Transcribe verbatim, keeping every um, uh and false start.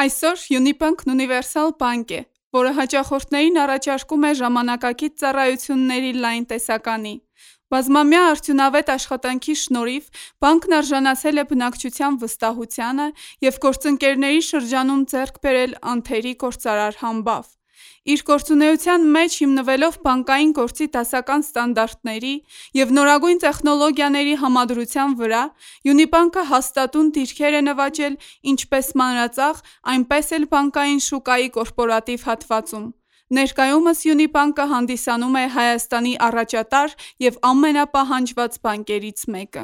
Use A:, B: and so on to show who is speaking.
A: Այսօր Յունիբանկն ունիվերսալ բանկ է, որը հաճախորդներին առաջարկում է ժամանակակից ծառայությունների լայն տեսականի։ Բազմամյա արդյունավետ աշխատանքի շնորհիվ բանկն արժանացել է բնակչության վստահությանը և գործընկերների շրջանում ձեռք բերել անթերի գործարար համբավ։ Իր գործունեության մեջ հիմնվելով բանկային գործի դասական ստանդարտների և նորագույն տեխնոլոգիաների համադրության վրա, Յունիբանկը հաստատուն դիրքեր է նվաճել ինչպես մանրածախ, այնպես էլ բանկային շուկայի կորպորատիվ հատվածում։ Ներկայումս Յունիբանկը հանդիսանում է Հայաստանի առաջատար և ամենապահանջված բանկերից մեկը։